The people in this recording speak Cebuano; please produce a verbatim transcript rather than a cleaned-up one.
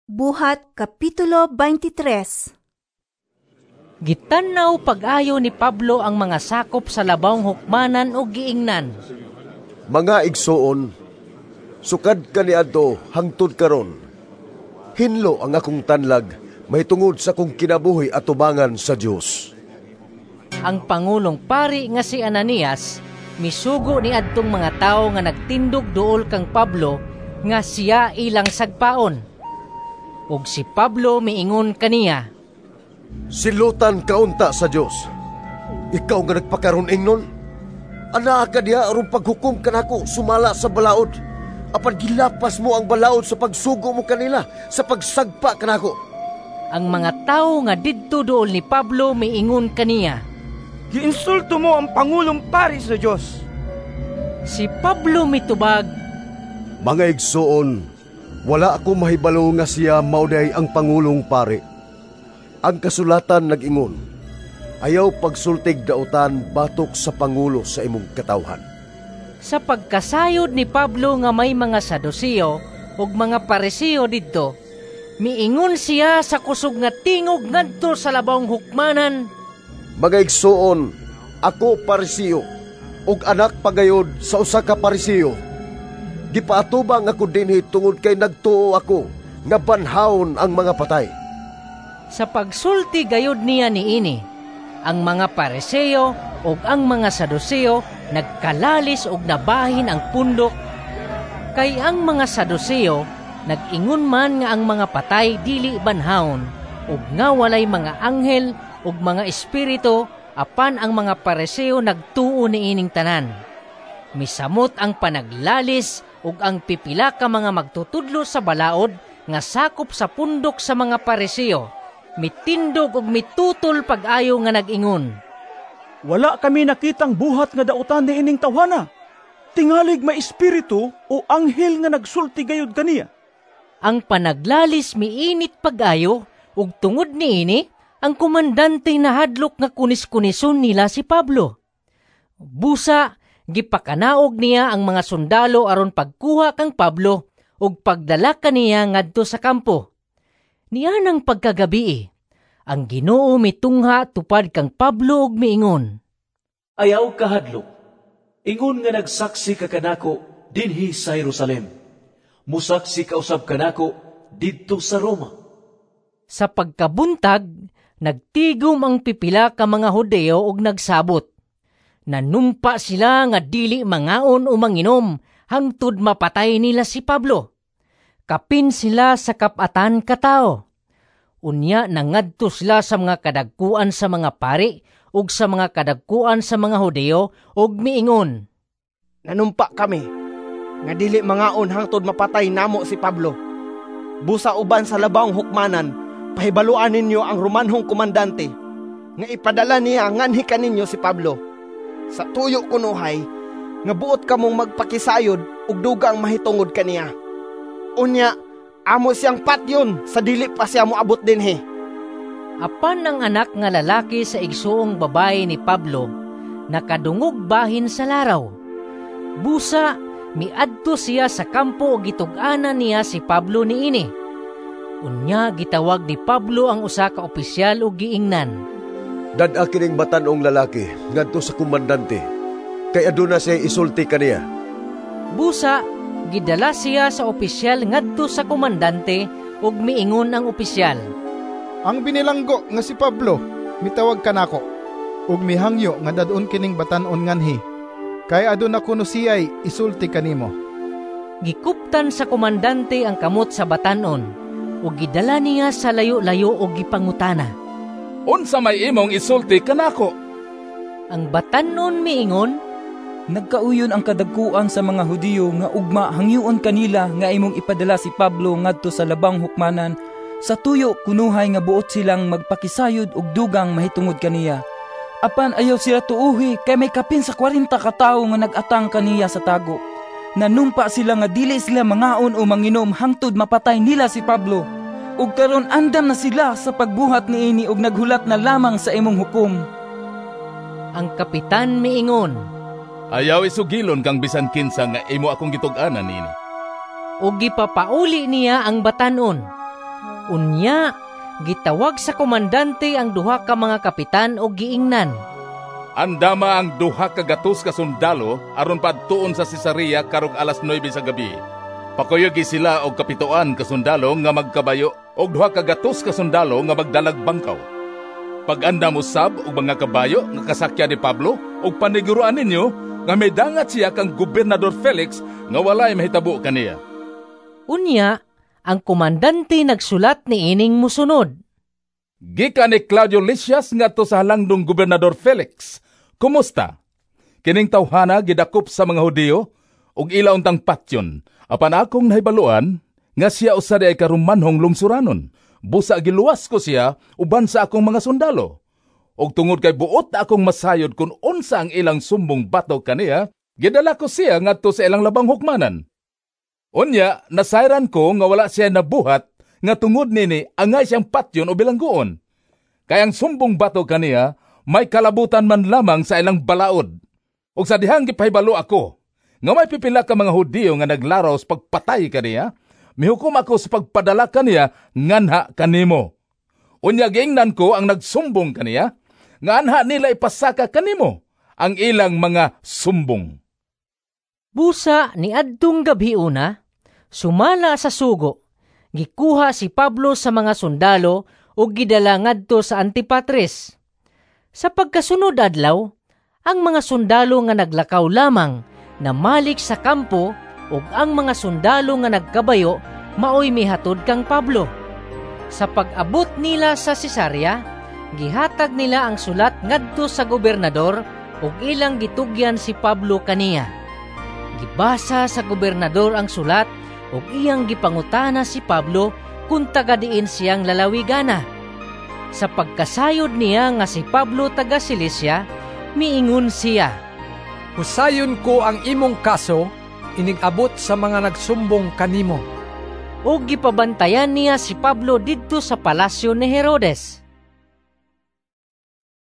Buhat Kapitulo twenty-three. Gitan-aw pag-ayo ni Pablo ang mga sakop sa labawng hukmanan ug giingnan, "Mga igsoon, sukad kaniadto hangtod karon, hinlo ang akong tanlag mahitungod sa akong kinabuhi atubangan sa Dios." Ang pangulong pari nga si Ananias misugo ni adtong mga tawo nga nagtindog duol kang Pablo nga siya ilang sagpaon. Ug si Pablo miingon kaniya, "Silutan ka unta sa Dios. Ikaw nga nagpakaron ingnon. Anaa ka diha aron paghukom kanako sumala sa balaod. Apan gilapas mo ang balaod sa pagsugo mo kanila sa pagsagpa kanako." Ang mga tawo nga didto duol ni Pablo miingon kaniya, "Giinsulto mo ang pangulong pari sa Dios." Si Pablo mitubag, "Mga igsoon, wala ako mahibalo nga siya mao diay ang pangulong pari. Ang kasulatan nag-ingon, 'Ayaw pagsultig dautan batok sa pangulo sa imong katawhan.'" Sa pagkasayod ni Pablo nga may mga Saduseo ug mga Pariseo didto, miingon siya sa kusog nga tingog ngadto sa labawng hukmanan, "Mga igsoon, ako Pariseo, ug anak pagayod sa usa ka Pariseo. Gipaatubang ako dinhi tungod kay nagtuo ako nga banhawon ang mga patay." Sa pagsulti gayud niya niini, ang mga Pariseo ug ang mga Saduseo nagkalalis ug nabahin ang pundok, kay ang mga Saduseo nag-ingon man nga ang mga patay dili banhawon ug nga walay mga anghel ug mga espiritu, apan ang mga Pariseo nagtuo niining tanan. Misamot ang panaglalis ug ang pipila ka mga magtutudlo sa balaod nga sakop sa pundok sa mga Pariseo mitindog ug mitutol pag-ayo nga nag-ingon, "Wala kami nakitang buhat nga dautan ni ining tawhana. Tingalig may espiritu o anghel nga nagsulti gayud kaniya." Ang panaglalis miinit pag-ayo ug tungod niini ang komandante nahadlok nga kunis-kunison nila si Pablo. Busa gipakanaog niya ang mga sundalo aron pagkuha kang Pablo ug pagdala kaniya ngadto sa kampo. Nianang pagkagabii, ang Ginoo mitungha tupad kang Pablo ug miingon, "Ayaw kahadlok. Ingon nga nagsaksi ka kanako dinhi sa Jerusalem, musaksi ka usab kanako didto sa Roma." Sa pagkabuntag, nagtigom ang pipila ka mga Hudeo ug nagsabot. Nanumpa sila nga dili mangaon o manginom hangtod mapatay nila si Pablo. Kapin sila sa kap-atan ka tawo. Unya nangadto sila sa mga kadagkuan sa mga pari ug sa mga kadagkuan sa mga Hudeo ug miingon, "Nanumpa kami nga dili mangaon hangtod mapatay namo si Pablo. Busa uban sa labawng hukmanan, pahibaluan ninyo ang Romanhong komandante nga ipadala niya nganhi kaninyo si Pablo. Sa tuyo kunuhay nga buot kamong magpakisayod og dugang mahitungod kaniya. Unya, amo siyang patyon sa dili pa siya moabot dinhi." Apan ang anak nga lalaki sa igsuong babae ni Pablo nakadungog bahin sa laraw. Busa miadto siya sa kampo ug gitug-anan niya si Pablo niini. Unya gitawag ni Pablo ang usa ka opisyal ug giingnan, "Dad-a kining batan-ong lalaki ngadto sa komandante, kay aduna siya isulti kaniya." Busa gidala siya sa opisyal ngadto sa komandante ug miingon ang opisyal, "Ang binilanggo nga si Pablo mitawag kanako ug mihangyo nga dad-on kining batan-on nganhi kay aduna kuno siyay isulti kanimo." Gikuptan sa komandante ang kamot sa batan-on ug gidala niya sa layo-layo ug gipangutana, "Unsa may imong isulti kanako?" Ang batan-on miingon, "Nagkauyon ang kadagkuan sa mga Hudiyo nga ugma hangyoon kanila nga imong ipadala si Pablo ngadto sa labang hukmanan sa tuyo kunuhay nga buot silang magpakisayod og dugang mahitungod kaniya. Apan ayaw sila tuuhi kay may kapin sa kwarenta ka tawo nga nag-atang kaniya sa tago. Nanumpa sila nga dili sila mangaon o manginom hangtod mapatay nila si Pablo. Ug karon andam na sila sa pagbuhat niini ug naghulat na lamang sa imong hukom." Ang kapitan miingon, "Ayaw isugilon kang bisan kinsa nga imo akong gitug-anan nini." Ug gipapauli niya ang batan-on. Unya, gitawag sa komandante ang duha ka mga kapitan og giingnan, "Andama ang duha ka gatos ka sundalo aron padtuon sa Cesarea karong alas nuwebe sa gabi. Pakuyogi sila og kapitoan ka sundalo nga magkabayo og duha ka gatos ka sundalo nga magdalag bangkaw. Pag-andam usab og mga kabayo nga kasakyan ni Pablo ug paniguroan ninyo nga midangat siya kang Gobernador Felix nga walay mahitabo kaniya." Unya, ang komandante nagsulat niining mosunod. Gikan ni Claudio Lysias ngadto sa halangdong Gobernador Felix. Kumusta? Kining tawhana gidakop sa mga Hudiyo ug ila untang patyon. Apan akong nahibaluan nga siya usa diay ka Romanhong lungsuranon. Busa giluwas ko siya uban sa akong mga sundalo. Og tungod kay buot akong masayod kung unsa ang ilang sumbong batok kaniya, gidala ko siya ngadto sa ilang labang hukmanan. Unya, nasayran ko nga wala siya nabuhat nga tungod nini angay siyang patyon o bilangguon. Kay ang sumbong batok kaniya may kalabutan man lamang sa ilang balaod. Ug sa dihang gipahibalo ako nga may pipila ka mga Hudiyo nga naglaraw sa pagpatay kaniya, mihukom ako sa pagpadala kaniya nganha kanimo. Unya giingnan ko ang nagsumbong kaniya nga anha nila ipasaka kanimo ang ilang mga sumbong. Busa niadtong gabhiona, sumala sa sugo, gikuha si Pablo sa mga sundalo ug gidala ngadto sa Antipatris. Sa pagkasunod adlaw, ang mga sundalo nga naglakaw lamang namalik sa kampo ug ang mga sundalo nga nagkabayo maoy mihatod kang Pablo. Sa pag-abot nila sa Cesarea, gihatag nila ang sulat ngadto sa gobernador ug ilang gitugyan si Pablo kaniya. Gibasa sa gobernador ang sulat ug iyang gipangutana si Pablo kung taga diin siyang lalawigana. Sa pagkasayod niya nga si Pablo taga Cilicia, miingon siya, "Husayon ko ang imong kaso inig-abot sa mga nagsumbong kanimo." Ug gipabantayan niya si Pablo didto sa palasyo ni Herodes.